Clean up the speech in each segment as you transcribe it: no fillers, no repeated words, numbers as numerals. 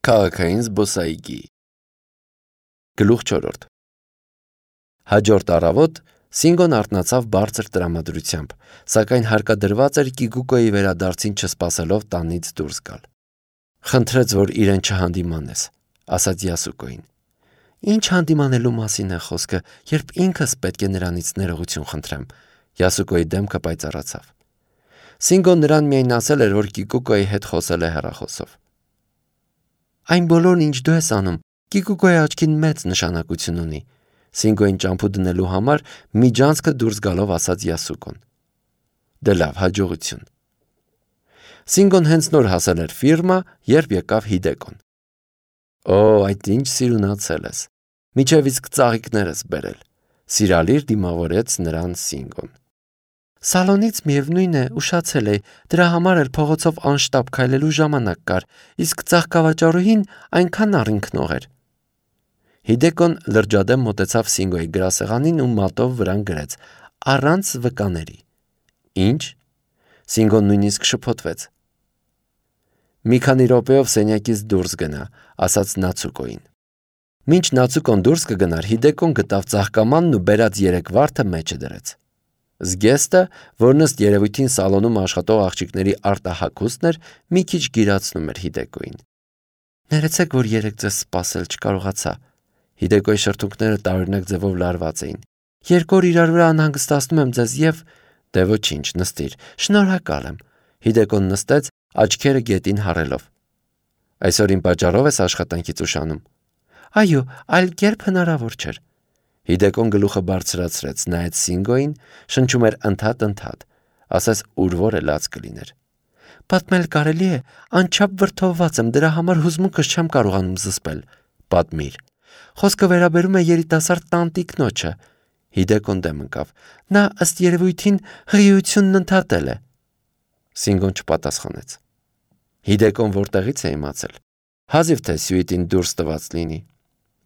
Քաղաքային զբոսայգի։ Գլուխ 4 Հաջորդ առավոտ Սինգոն արթնացավ բարձր տրամադրությամբ, սակայն հարկադրված էր Կիկուկոյի վերադարձին չսպասելով տանից դուրս գալ։ Խնդրեց, որ իրեն չհանդիմանես, ասաց Յասուկոին։ Ինչ հանդիմանելու մասին է խոսքը, երբ ինքս պետք է նրանից ներողություն խնդրեմ, Յասուկոյի դեմքը պայծառացավ։ Սինգոն նրան միայն ասել էր, որ Կիկուկոյի հետ խոսել է հեռախոսով։ Այն բոլորն, ինչ դու ես անում, Կիկուկոյի աչքին մեծ նշանակություն ունի, Սինգոյին ճամփու դնելու համար միջանցքը դուրս գալով ասաց Յասուկոն։ Դե լավ, հաջողություն։ Սինգոն հենց նոր հասել էր ֆիրմա, երբ եկավ Հիդեկոն։ Օ, այդ ինչ սիրունացել ես։ Միջև իսկ ծաղիկներս բերել, սիրալիր դիմավորեց նրան Սինգոն։ Սալոնից միևնույն է, ուշացել էի, դրա համար էլ փողոցով անշտապ քայլելու ժամանակ կար, իսկ ծաղկավաճառուհին այնքան առինքնող էր։ Հիդեկոն լրջադեմ մոտեցավ Սինգոյի գրասեղանին ու մատով վրան գրեց. առանց վկաների։ Ինչ։ Սինգոն նույնիսկ շփոթվեց։ Մի քանի րոպեով սենյակից դուրս գնա, ասաց Նացուկոին։ Մինչ Նացուկոն դուրս կգնար, Հիդեկոն գտավ ծաղկամանն ու բերած 3 վարդը մեջը դրեց։ Զգեստը, որն ըստ երևույթին սալոնում աշխատող աղջիկների արտահագուստն էր, մի քիչ գիրացնում էր Հիդեկոին։ Ներեցեք, որ երեկ ձեզ սպասել չկարողացա։ Հիդեկոյի շրթունքները տարօրինակ ձևով լարված էին։ 2 օր իրար վրա անհանգստացնում եմ ձեզ եւ… Դե ոչինչ, նստիր, շնորհակալ եմ։ Հիդեկոն նստեց, աչքերը գետին հառելով։ Այսօր իմ պատճառով ես աշխատանքից ուշանում։ Այո, այլ կերպ հնարավոր չէր։ Հիդեկոն գլուխը բարձրացրեց, նայեց Սինգոյին, շնչում էր ընդհատ, ասես ուր որը լաց կլիներ։ Պատմել կարելի է, անչափ վրդովված եմ, դրա համար հուզմունքս չեմ կարողանում զսպել։ Պատմիր։ Խոսքը վերաբերում է երիտասարդ տանտիկնոջը։ Հիդեկոն դեմ ընկավ։ Նա ըստ երևույթին հղիությունն ընդհատել է։ Սինգոն չպատասխանեց։ Հիդեկոն որտեղից է իմացել։ Հազիվ թե սյուիտին դուրս տված լինի։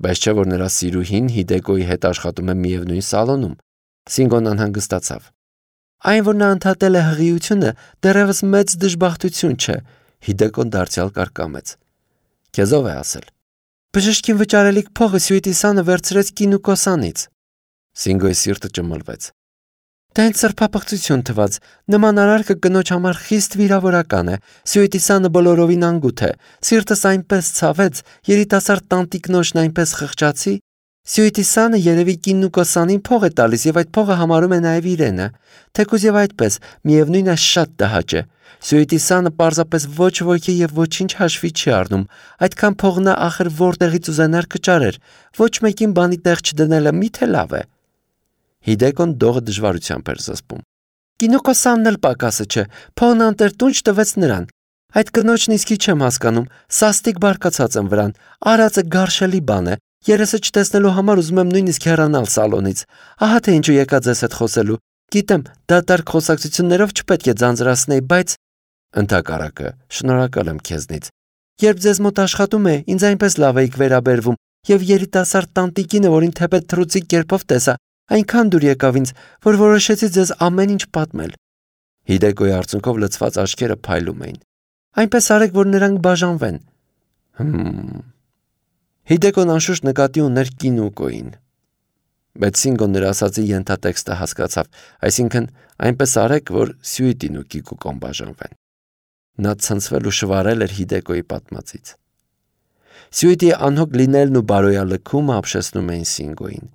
Բայց չէ որ նրա սիրուհին Հիդեկոյի հետ աշխատում է միևնույն սալոնում։ Սինգոն անհանգստացավ։ Այն, որ նա ընդհատել է հղիությունը, դեռևս մեծ դժբախտություն չէ։ Հիդեկոն դարձյալ կարկամեց։ Քեզ ով է ասել։ Բժշկին վճարելիք փողը սյուիտի սանը վերցրեց Կինուկոսանից։ Սինգոյի սիրտը ճմլվեց։ Դա ինձ սրբապղծություն թվաց։ Նման արարքը կնոջ համար խիստ վիրավորական է։ Սյուիտի սանը բոլորովին անգութ է։ Սիրտս այնպես ցավեց, երիտասարդ տանտիկնոջն այնպես խղճացի։ Սյուիտի սանը երևի Կինուկոսանին փող է տալիս եւ այդ փողը համարում է նաեւ իրենը։ Թեկուզ եւ այդպես, միևնույն է շատ տհաճ է։ Սյուիտի սանը պարզապես ոչ ոքի եւ ոչինչ հաշվի չի առնում։ Այդքան փող նա ախր որտեղից ուզենար կճարեր։ Ոչ մեկին բանի տեղ չդնելը միթե լավ է։ Հիդեկոն դողը դժվարությամբ էր զսպում։ Կինուկոսանն էլ պակասը չէ, փողն անտերտունջ տվեց նրան։ Այդ կնոջն իսկի չեմ հասկանում, սաստիկ բարկացած եմ վրան, արածը գարշելի բան է, երեսը չտեսնելու համար ուզում եմ նույնիսկ հեռանալ սալոնից։ Ահա թե ինչու եկա ձեզ հետ խոսելու։ Գիտեմ, դատարկ խոսակցություններով չպետք է ձանձրացնել, բայց… Ընդհակառակը, շնորհակալ եմ քեզնից։ Երբ ձեզ մոտ աշխատում է, ինձ այնպես լավ էիք վերաբերվում, եւ երիտասարդ տանտիկինը, որին թեպետ թռուցիկ կերպով տեսա, այնքան դուր եկավ ինձ, որ որոշեցի ձեզ ամեն ինչ պատմել։ Հիդեկոյի արցունքով լցված աչքերը փայլում էին։ Այնպես արեք, որ նրանք բաժանվեն։ Հիդեկոն անշուշտ նկատի ուներ Կինուկոին։ Բայց Սինգոն նրա ասածի ենթատեքստը հասկացավ, այսինքն այնպես արեք, որ Սյուիտին ու Կիկուկոն բաժանվեն։ Նա ցնցվել ու շվարել էր Հիդեկոյի պատմածից։ Սյուիտի անհոգ լինելն ու բարոյալքումը ապշեցնում էին Սինգոյին։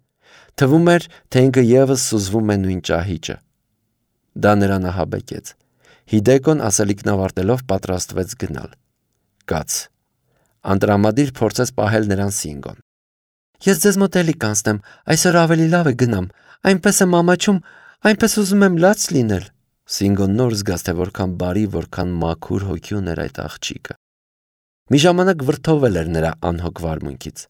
Թվում էր, թե ինքը եւս սուզվում է նույն ճահիճը։ Դա նրան ահաբեկեց։ Հիդեկոն ասելիքն ավարտելով պատրաստվեց գնալ։ Կաց։ Անտրամադիր փորձեց պահել նրան Սինգոն։ Ես ձեզ մոտ էլի կանցնեմ, այսօր ավելի լավ է գնամ, այնպես եմ ամաչում, այնպես ուզում եմ լաց լինել։ Սինգոն նոր զգաց, թե որքան բարի, որքան մաքուր հոգի ուներ այդ աղջիկը։ Մի ժամանակ վրդովել էր նրա անհոգ վարմունքից։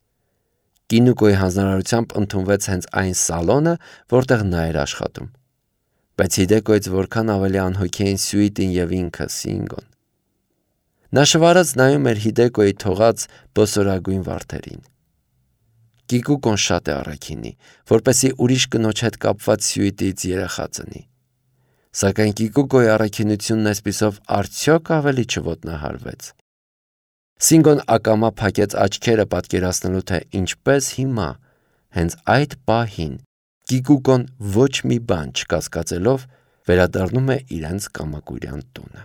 Կինուկոյի հանձնարարությամբ ընդունվեց հենց այն սալոնը, որտեղ նա էր աշխատում։ Բայց Հիդեկոյից որքան ավելի անհոգ էին Սյուիտին եւ ինքը Սինգոն։ Նա շվարած նայում էր Հիդեկոյի թողած բոսորագույն վարդերին։ Կիկուկոն շատ է առաքինի, որպեսզի ուրիշ կնոջ հետ կապված Սյուիտից երեխա ծնի։ Սակայն Կիկուկոյի առաքինությունն այսպիսով արդյոք ավելի չոտնահարվեց։ Սինգոն ակամա փակեց աչքերը պատկերացնելու, թե ինչպես հիմա, հենց այդ պահին, Կիկուկոն ոչ մի բան չկասկածելով վերադառնում է իրենց կամակուրյան տունը։